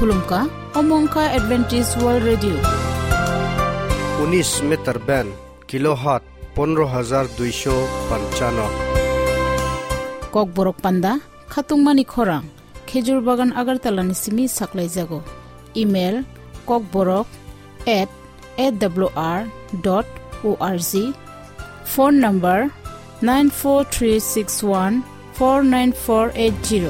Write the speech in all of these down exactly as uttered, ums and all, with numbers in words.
Khulumkha, omo wngkha Adventist World Radio. Unis meter band, kilohertz pondro hajar duisho panchano. Kokborok panda, khatungmani khorang, Khejur Bagan Agartala ni simi saklaijago. Email, kokborok at A W R dot O R G. Phone number nine four three six one four nine four eight zero.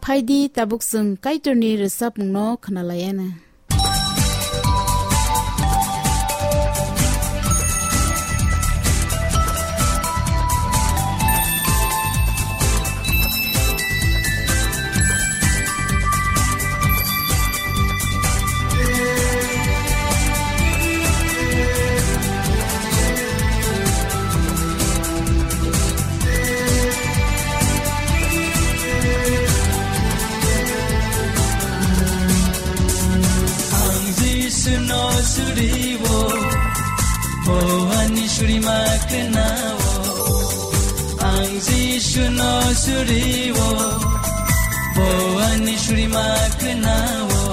Phaidi tabuk chwng Kaitorni rwchapmungno khwnalaiana. Ang Jisu no suriwo, bo ani surima kwnao. Ang Jisu no suriwo, bo ani surima kwnao.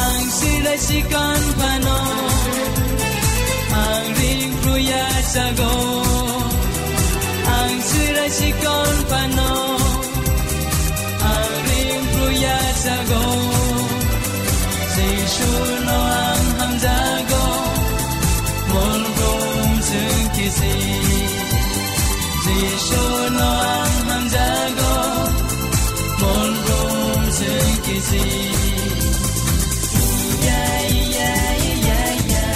Ang sirai sikon phano, ang ring pruya sago. Ang sirai sikon phano, ang ring pruya sago. Jisu no ang hamjago, mol brum sengkisi. Jisu no ang hamjago, mol brum sengkisi. Iya, iya, iya, iya.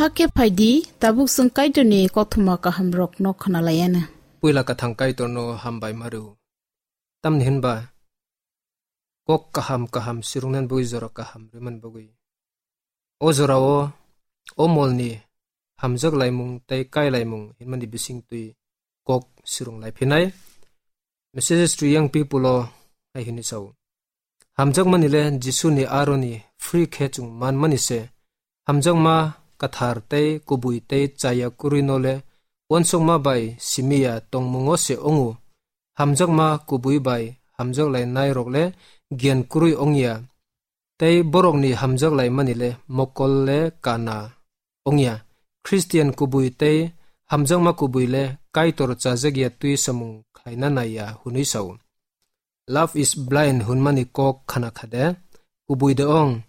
Hakhe phaidi, tabuk chwng Kaitorni kothoma kahamrokno khwnalaiana. Puila kwthang Kaitorno hambai ma rw. Tamni hwnba kok kaham kaham swrwngna bagwi jora kaham rwmani bagwi. O jorao o molni hamjak laimung tei kai laimung hinmani bisingtwi kok swrwng lai phinai. Messages to Young People o hai hwnwi sao. Hamjakmani le Jisuni aroni free khe chwng manmani se. Hamjakma kwthar tei kubui tei chaya kwrwi no le uansukma bai simi ya tongmungo se wngo. Hamjakma kubui bai hamjak lainai rok le giyan kwrwi wng ya. Tei borokni hamjak laimani le mokol le kana wng ya. Khristian kubui tei hamjakma kubui le Kaitor chajak ya twi samung khlaina nai ya hwnwi sao. Love is blind hwnmani kok khana kha de? Kubui de ong,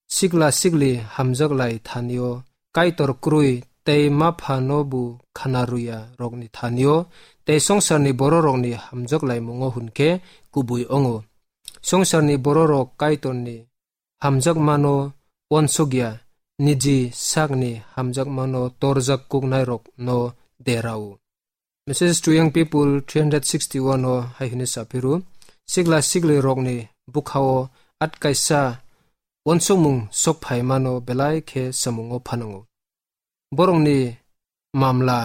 sikla sikli hamjak lai thani o Kaitor kwrwi tei ma phano bo khana rw ya rokni thani o tei swngcharni bororokni hamjak laimungo hwn khe kubui wngo. Swngcharni bororok Kaitorni hamjakmano uansukya, niji sakni hamjakmano torjak kuknairokno derao. Message to Young People three hundred sixty-one o hai hwnwi saphiru, sikla siklirokni bwkhao atkaisa uansukmung sokphaimano belai khe samungo phanango. Borokni mamla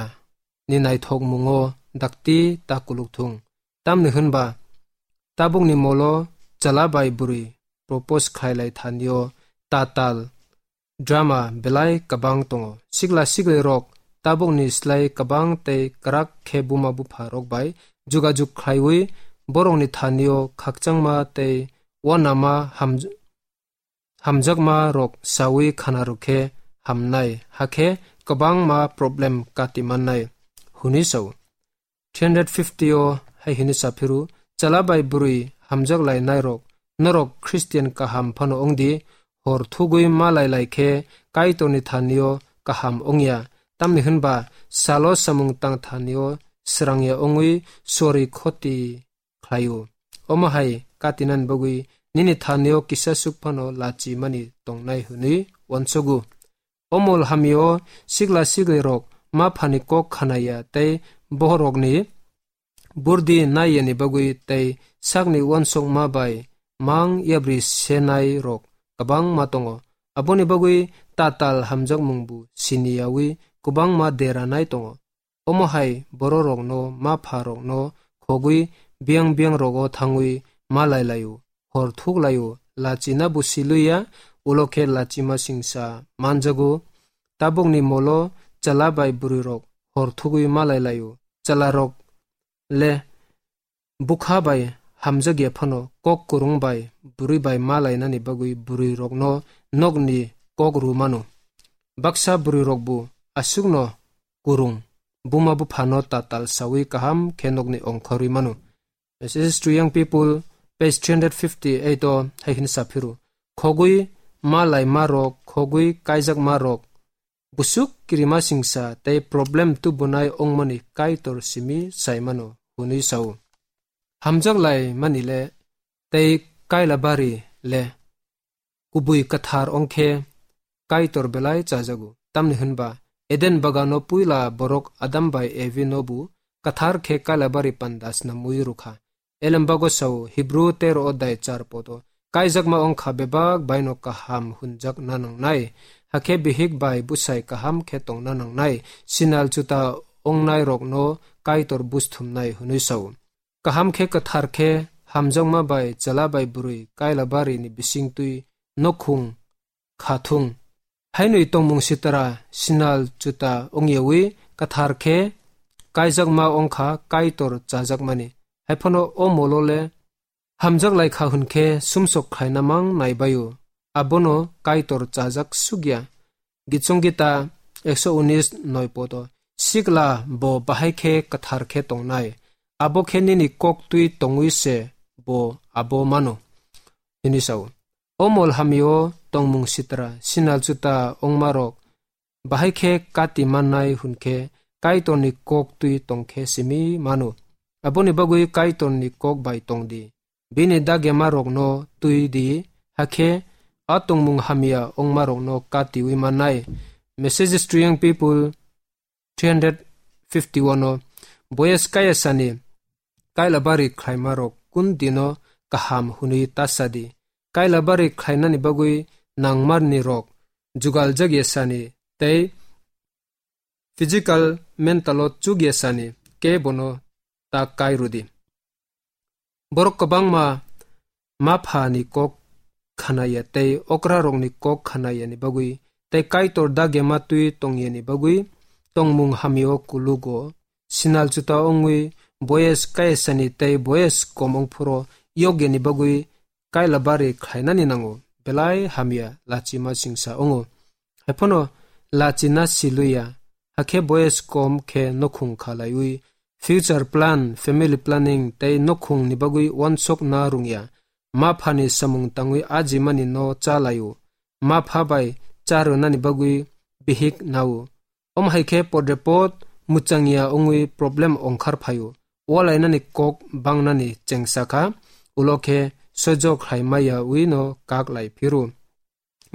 ni naithokmungo dakti ta kuluk thung. Tamni hwnba tabukni molo chwla bai bwrwi propose khlailai thanio tatal drama belai kwbang tongo. Sikla siklirok tabukni slai kwbang tei kwrak khe buma bupha rok bai jugajug khlaiwi borokni thanio khakchangma tei uanama ham-, hamjakma rok sawi khana rwkhe hamnai, hakhe kwbangma problem kati mannai, hwnwi sao. Three hundred fifty o hai hwnwi saphiru, chwla bai bwrwi hamjak lainairok, norok Christian kaham phano wngdi, hor thugwi ma lai lai khe Kaitorni thanio kaham wngya, tamni hwnba salo samung tang thanio srangya wngwi sori khoti khlaio. Omo hai katinani bagwi nini thanio kisa suk phano lachi mani tongnai hwnwi uansugo. O mol hamio sikla siklirok ma phani kok khanaya tei bohrokni burdi naiyani bagwi tei sakni uansukma bai mang yabri senai rok kwbangma tongo. Aboni bagwi tatal hamjakmungbo siniyawi kwbangma deranai tongo. Omo hai bororokno ma pharokno khogwi biyang biyang rogo thangwi ma lai laio, hor thuk laio, lachina bo siluya, ulo khe lachima singsa manjago. Tabukni molo chwla bai bwrwirok hor thugwi ma lai laio. Chwlarok le bwkha bai hamjakya phano kok kwrwng bai bwrwi bai ma lainani bagwi bwrwirokno nokni kok rw mano. Baksa bwrwirokbo aswkno kwrwng, buma buphano tatal sawi kaham khe nokni ongkhorwi mano. Message to Young People, page three hundred fifty-eight o hai hwnwi saphiru, khogwi ma lai ma rok, khogwi kaijak ma rok, busuk kirima singsa tei problem tubunai ongmani Kaitor simi saimano hwnwi sao. Hamjak lai mani le tei kaila bari le kubui kwthar ongkhe Kaitor belai chajago. Tamni hwnba Eden bagano puila borok Adam bai Evi no bu kwthar khe kaila bari panda snamwi rwkha. Elembago sao Hebrew tero odai char podo, kaijakma ongkha bebak baino kaham hunjak nanangnai. Hakhe bihik bai bwsai kaham khe tongna nangnai. Sinal chuta ongnai rokno Kaitor busthumnai hwnwi sao. Kaham khe kwthar khe hamjakma bai chwla bai bwrwi kaila bari ni bisingtwi nokhung kha thung. Hainwi tongmung sitra sinal chuta ongyawi kwthar khe kaijakma ongkha Kaitor chajakmani. Haiphano o molo le hamjak lai kha hwn khe sumsok khlaina mang naibaio, abono Kaitor chajak sukya. Gichong Gita ekso unis noi podo, sikla bo bahai khe kwthar khe tongnai, abo khe nini kok twi tongwi se bo abo mano, hwnwi sao. O mol hamio tongmung sitra sinal chuta ongmarok bahai khe kati mannai hwn khe Kaitorni kok twi tong khe simi mano. Aboni bagwi Kaitorni kok bai tong di. Bini dagema rokno twi di, hakhe a tongmung hamya ongma rokno katiwi mannai. Messages to Young People three hundred fifty-one o, Boyes kaya sani kaila bari khlaima rok kun dino kaham hwnwi ta sa di. Kaila bari khlainani bagwi nangmarni rok jugal jagya sani tei physical, mental o chukya sani kebono ta kai rwdi. Borok kwbangma ma pha ni kok khanaya tei okra rokni kok khanaya ni bagwi tei Kaitor dagema twi tongya ni bagwi tongmung hamya o kulugo sinal chuta ongwi boyes kayasani tei boyes kom ongphuru yokya ni bagwi kaila bari khlainani nango, belai hamya lachima singsa wngo. Haiphano lachina siluya, hakhe boyes kom khe nokhung khalaiwi future plan, family planning tei nokhung ni bagwi wansok na rungya. Ma phani samung tangwi ajimani no cha laio. Ma pha bai cha rwnani bagwi bihik nao. Omo hai khe podrepot muchangya wngwi problem ongkhar phaio. Walainani kok bangnani chengsa kha, ulo khe soijo khlai maya wi no kak lai phiru.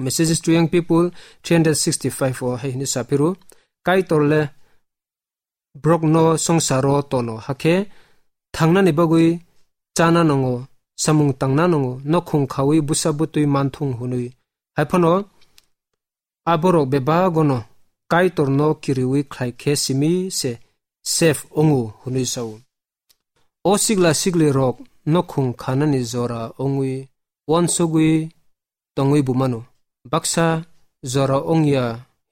Messages to Young People three hundred sixty-five o hai hini sa phiru, Kaitor le brok no songsaro tono hakhe thangnani bagwi chana nango, samung tangna nango, nokhung khawi busa butwi manthung hwnwi. Haiphano aborok bebagono Kaitorno kiriwi khlai khe simi se safe ongo hwnwi sao. O sigla sigli rok nokhung khanani jora ongwi uansugwi tongwi bumano. Baksa jora ongya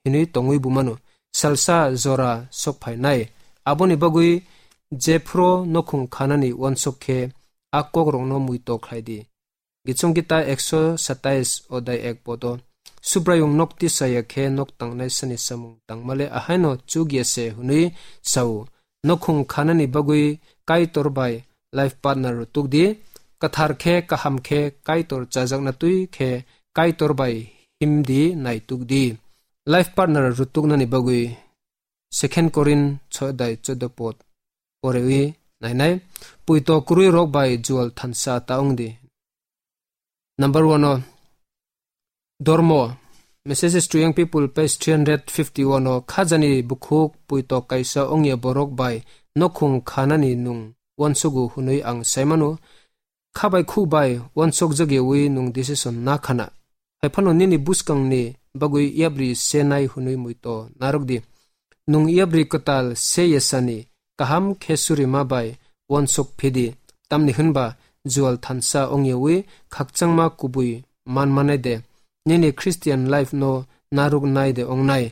hinwi tongwi bumano. Salsa jora sokphainai. Aboni bagwi jephru nokhung khanani uansuk khe a kokrokno muito khlai di. Gichong Gita ekso satais odai ek podo. Subraiyung nok tisaya khe nok tangnai sani samung tangmale ahaino chukya se hwnwi sao. Nokhung khanani bagwi Kaitor bai life partner rutuk di. Kathar khe kaham khe Kaitor chajakna twi khe Kaitor bai himdi naituk di. Life partner rutuknani bagwi Second Korin sodai chodo pod porewi nainai. Puito kwrwi rok bai jual thansa ta ongdi. Number one o Dormo, Messages to Young People, page three hundred fifty-one o, khajani bukhuk puito kaisa ongya borok bai nokhung khanani nung uansugo hwnwi ang saimano. Khabai khuk bai uansuk jagyawi nung decision na khana. Haiphano nini buskangni bagwi yapri se nai hwnwi muito narwk di. Nung yapri kwtal se yasani kaham khe surima bai uansuk phidi. Tamni hwnba jual thansa ongyawi khakchangma kubui man manai de. Nini Christian life no narwk nai de ongnai.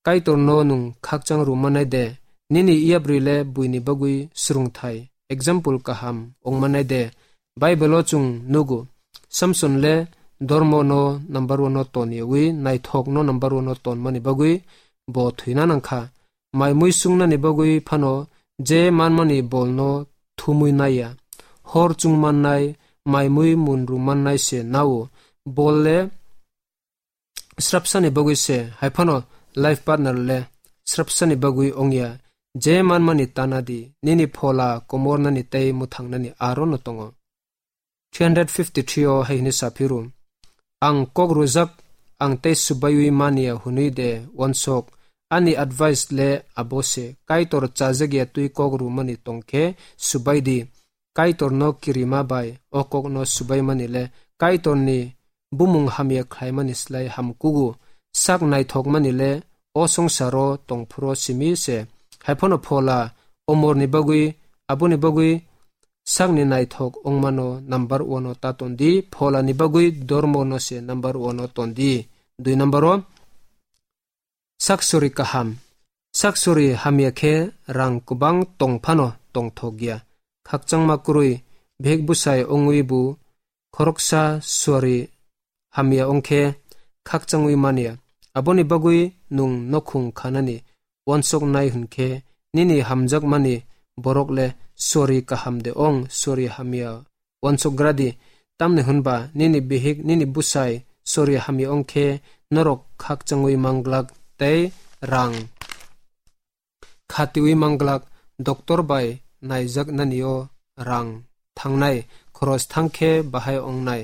Kaitorno nung khakchang rw manai de. Nini yapri le buini bagwi swrwngthai, example kaham ong manai de. Bible o chwng nugo, Samson le dormo no number one o ton yawi naithok no number one o ton mani bagwi bo thwina nangkha. Mai mui sungnani bagwi phano je manmani bolno thumwi naiya. Hor chungmannai, mai mui munru mannai se nao. Bol le srapsani bagwi se, haiphano life partner le srapsani bagwi ongya. Je manmani tana di, nini phola komornani tei mwthangnani aro no tongo. Three hundred fifty-three o hai hwnwi saphiru, ang kok rwjak, ang tei subaiwi manya hwnwi de uansuk, ani advice le abo se, Kaitor chajak ya twi kok rwmani tong khe subai di. Kaitorno kirima bai o kokno subaimani le Kaitorni bumung hamya khlaimani slai ham kugo. Sak naithokmani le o songsaro tongphuru simi se. Haiphano phola omorni bagwi, aboni bagwi sakni naithok ongmano number one o ta tondi, pholani bagwi dormono se number one o tondi. Dui number o, Saksori kaham. Saksori hamya khe rang kwbang tong phano tongthok ya. Khakchangma kwrwi bihik bwsai ongwi bo khoroksa suari hamya ong khe khakchangwi manya. Aboni bagwi nwng nokhung khanani uansuknai hwn khe nini hamjakmani borok le suari kaham de ong, suari hamya uansukgra di. Tamni hwnba nini bihik, nini bwsai sori hamya ong khe norok khakchangwi manglak tei rang khatiwi manglak. Doktor bai naijaknani o rang thangnai, khoros thang khe bahai ongnai.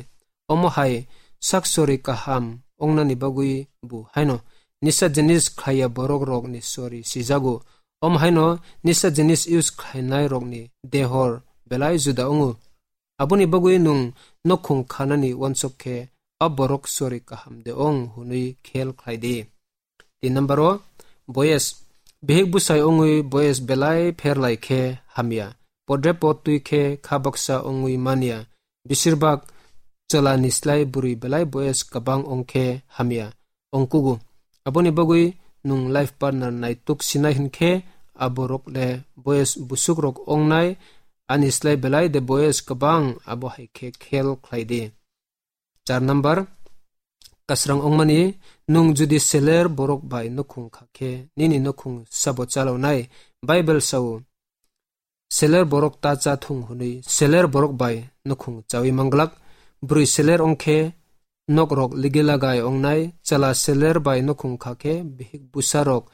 Omo hai sak sori kaham ongnani bagwi bo haino nisa jinis khlaiya borok rokni sori sijago. Omo haino nisa jinis use khlainai rokni dehor belai juda ongo. Aboni bagwi nwng nokhung khanani uansuk khe a borok sori kaham de ong hwnwi khel khlai di. Tin number o, boyes. Bihik bwsai ongwi boyes belai pher lai khe hamya. Podre pod twi khe kha baksa ongwi manya. Besirbak chwla ni slai bwrwi belai boyes kwbang ong khe hamya. Ongkugo. Aboni bagwi nwng life partner naituk sinai hwn khe a borok le boyes busuk rok ongnai, ani slai belai de boyes kwbang, abo hai khe khel khlai di. Char number, kasrang ongmani, nwng jodi seler borok bai nokhung kha khe nini nokhung sabo chalawnai? Bible sao, seler borok ta cha thung hwnwi seler borok bai nokhung chawi manglak. Bwrwi seler ong khe nok rok ligi lagai ongnai, chwla seler bai nokhung kha khe bihik bwsa rok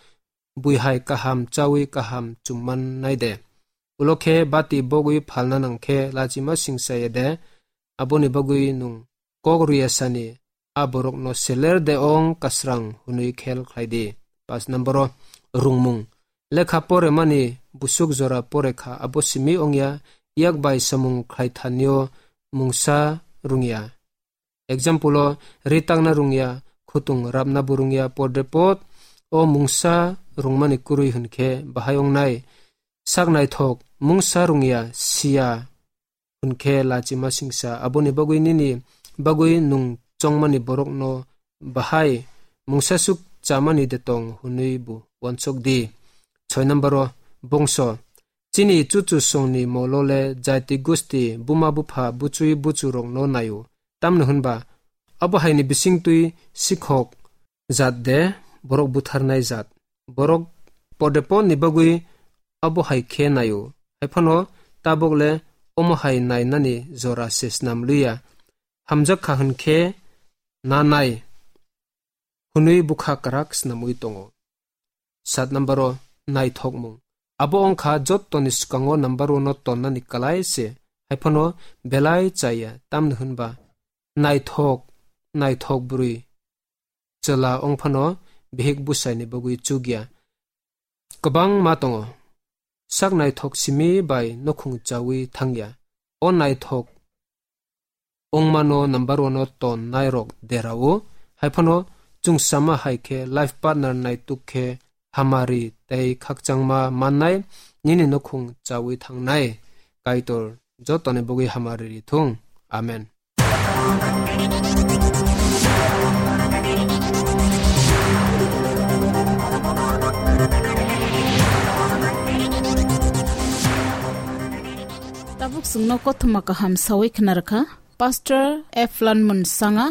bui hai kaham chawi kaham chum mannai de. Ulo khe bati bogwi phalna nang khe lachima singsa ya de. Aboni bagwi nwng kok rwya sani a borokno seler de ong kasrang hwnwi khel khlai di. Pas number o rungmung. Lekha poremani busuk jora porekha abo simi ongya, yak bai samung khlai thanio mungsa rungya. Example o, ri tangna rungya, khutung rapna bo rungya, podre pod o mungsa rungmani kwrwi hwnkhe bahai ongnai. Sak naithok, mungsa rungya, siya hwnkhe lachima singsa, aboni bagwi nini bagwi nwng chongmani borokno bahai mungsasuk chamani de tong hwnwi bo uansuk di. Soi number o, bongso. Chini chuchu songni molo le jaiti gusti, buma bupha, buchwi buchurokno naio. Tamni hwnba, abo haini bisingtwi sikhok jat de, borok butharnai jat. Borok podeponni bagwi abo hai khe naio. Haiphano tabok le omo hai nainani jora se snam liya. Hamjak kha hwn khe na nai hwnwi bwkha kwrak snamwi tongo. Sat number o naithokmung. Abo wngkha jottoni swkango number one o tonnani kwlai se, haiphano belai chaya, tamni hwnba naithok, naithok bwrwi chwla wngphano bihik bwsaini bagwi chukya. Kwbangma tongo. Sak naithok simi bai nukhung chawi thangya. O naithok wngmano number one o ton nairok derao. Haiphano chwngsama hai khe life partner naituk khe hamari tei khakchangma mannai nini nukhung chawi thangnai. Kaitor jotoni bagwi hamari rithung. Amen. Tabuk chwngno kothoma kaham sawi khwnarwkha Pastor Eflan Munsanga.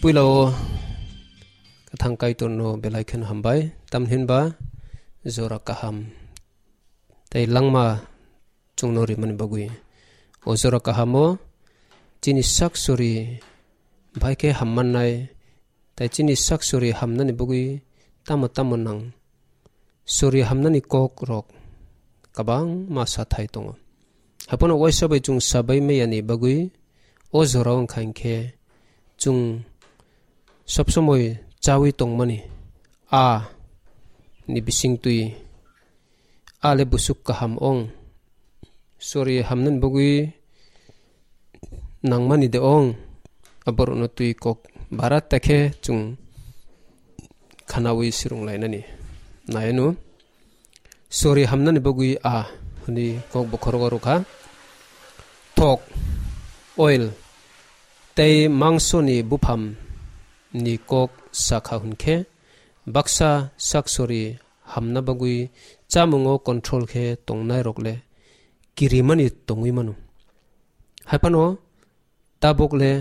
Puila o kwthang Kaitorno belai kheno hambai, tamhinba jora kaham tei langma chwngno rimani bagwi. O jora kahamo chini sak sori bai khe hammannai, tei chini sak sori hamnani bagwi tamo tamo nang sori hamnani kok rok kwbangma sathai tongo. Haphano waisa bai chwng sabai maya ni bagwi O jora wngkha hinkhe chwng sob somoi chawi tongmani a ni bisingtwi a le busuk kaham ong. Sori hamnani bagwi nangmani de ong. Aborokno twi kok bara ta khe chwng khanawi swrwng lainani. Nai ano. Sori hamnani bagwi a hwnwi kok bokhorogo rwkha. Thok, oil, tei mangsoni bupham ni kok sakha hwnkhe baksa sak sori hamna bagwi chamungo control khe tongnai rok le kirimani tongwi mano. Haiphano tabuk le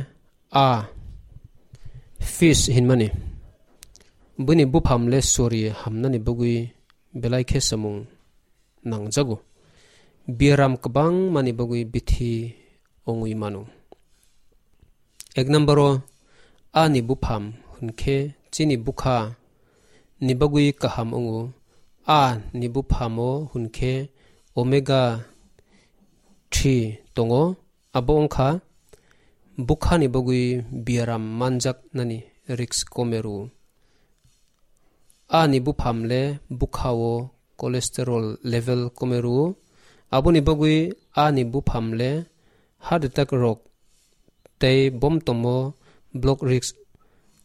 a fish hinmani bini bupham le sori hamnani bagwi belai khe samung nangjago. Biaram kwbangmani bagwi bithi ongwi mano. Ek number o a ni bupham hwnkhe chini bwkha ni bagwi kaham wngo. A ni buphamo hwnkhe omega three tongo. Abo wngkha bwkhani bagwi biaram manjaknani risk kome rwo. A ni bupham le bwkhao cholesterol level kome rwo. Aboni bagwi a ni bupham le heart attack rok tei bomtomo block risk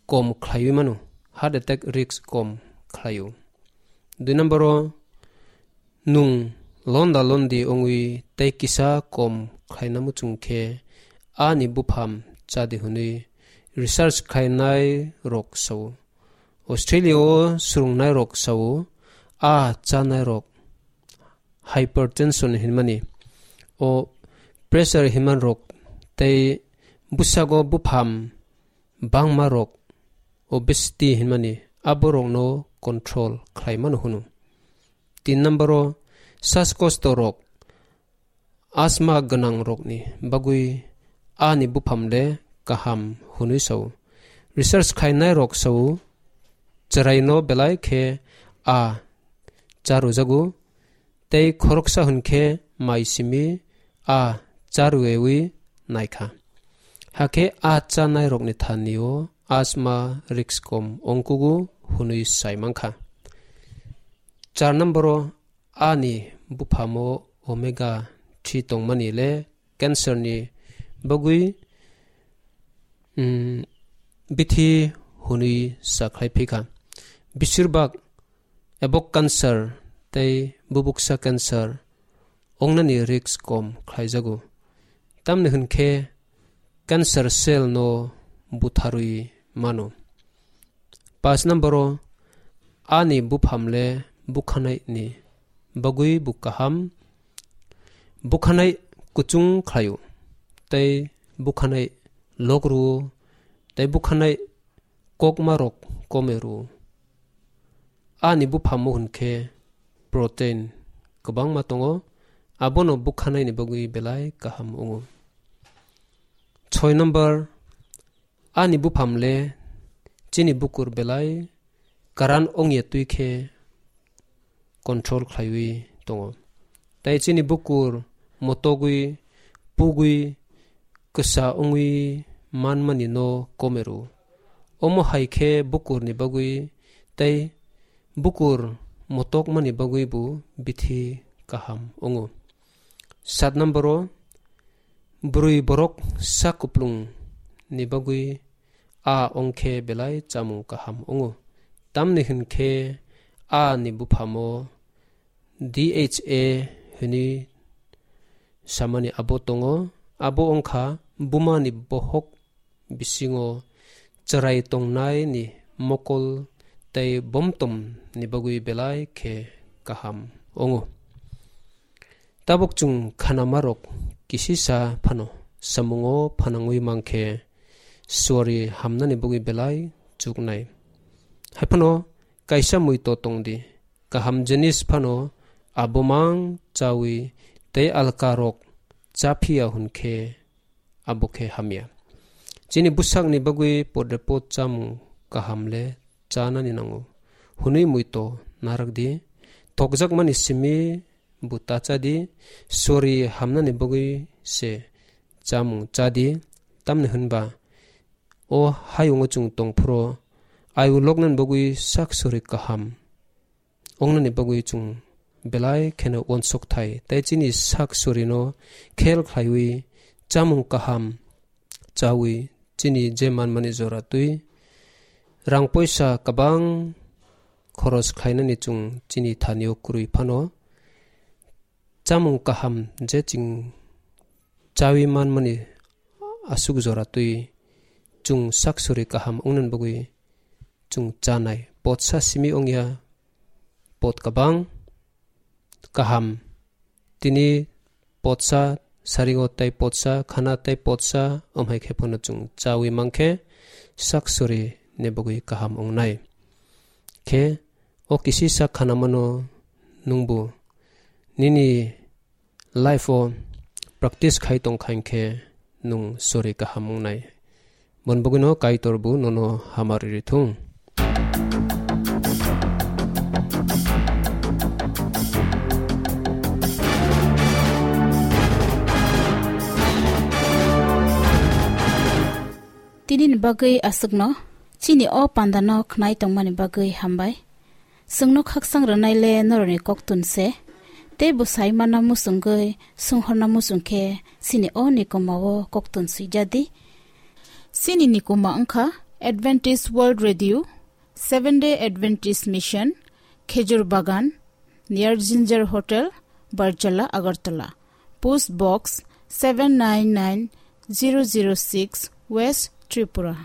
kom khlaiwi mano. Heart attack risk kom khlaio. Dui number o nwng londa londi wngwi tei kisa kom khlaina muchung khe a ni bupham chadi hwnwi research khlainai rok sao. Australia o swrwngnairok sao, a chanairok hypertension hinmani, o pressure hinmanrok tei bwsago bupham bangmarok, obesity hinmani, aborokno control khlaimano hwno. Tin number o saskosto rok, asthma gwnang rokni bagwi a ni bupham le kaham hwnwi sao. Research khainai rok sao, chwraino belai khe a charujago, tei khoroksa hwn khe mai simi a charuewi naikha. Hakhe a chanai rokni thani o asthma risk kom ongkugo hwnwi sai mankha. Char number o a ni buphamo omega three tongmani le cancer ni bagwi, mm, bithi hwnwi sakhlai phikha. Bisirbak ebok cancer tei bubuksa cancer ongnani risk kom khlaijago. Tamni hwn khe cancer cell no butharwi mano. Paanch number o a ni bupham le bukhanai ni bagwi bo kaham. Bukhanai kuchung khlaio, tei bukhanai lok rwo, tei bukhanai kokma rok kome rwo. A ni buphamo hwn khe protein kwbangma tongo, abono bukhanai ni bagwi belai kaham wngo. Soi number, a ni bupham le chini bukur belai karan ongya twi khe control khlaiwi tongo. Tai chini bukur motogwi, pugwi, kwsa wngwi manmani no kome rwo. Omo hai khe bukurni bagwi tei bukur motokmani bagwi bo bithi kaham wngo. Sat number o, bwrwi borok sak kuplung ni bagwi a ongkhe belai chamung kaham wngo. Tamni hwn khe a ni buphamo D H A hwnwi samani abo tongo. Abo wngkha buma ni bohok bisingo chwrai tongnai ni mokol tei bomtom ni bagwi belai khe kaham wngo. Tabuk chwng khanama rok kisisa phano samungo phanangwi mankhe suari hamnani bagwi belai chuknai. Haiphano kaisa muito tongdi, kaham jinis phano abomang chawi tei alka rok chaphiya hwn khe abo khe hamya. Chini bwsakni bagwi podre pod chamung kaham le chanani nango hwnwi muito narakdi. Tokjakmani simi bo ta chadi, sori hamnani bagwi se chamung chadi. Tamni hwnba o hayungo chwng tongphuru ayuk loknani bagwi sak sori kaham wngnani bagwi chwng belai kheno uansuk thai, tei chini sak sorino khel khlaiwi chamung kaham chawi chini je manmani jora twi rang poisa kwbang khoros khlainani chwng chini thanio kwrwi phano chamung kaham je chwng chawi manmani aswk jora twi chwng sak sori kaham wngnani bagwi chwng chanai. Potsa simi wngya, pot kwbang kaham. Tini potsa saringo tei potsa khana tei potsa, omhai khe phano chwng chawi mankhe sak sori ni bagwi kaham wngnai. Khe o kisisa khanamano nwngbo nini life o practice khai tong kha hinkhe nwng sori kaham wngnai. Bon bogwino Kaitor bo nono hamari rithung. Tini ni bagwi aswkno, chini o panda no khnai tongmani bagwi hambai. Chwngno khaksang rwnai le norokni koktun se, tei bwsai mana muchungwi sunghorna muchung khe chini o nikoma o koktun swijadi. Chini nikoma wngkha Adventist World Radio, Seventh Day Adventist Mission, Khejur Bagan, near Ginger Hotel, Barjala, Agartala. Post Box seven nine nine zero zero six, West Tripura.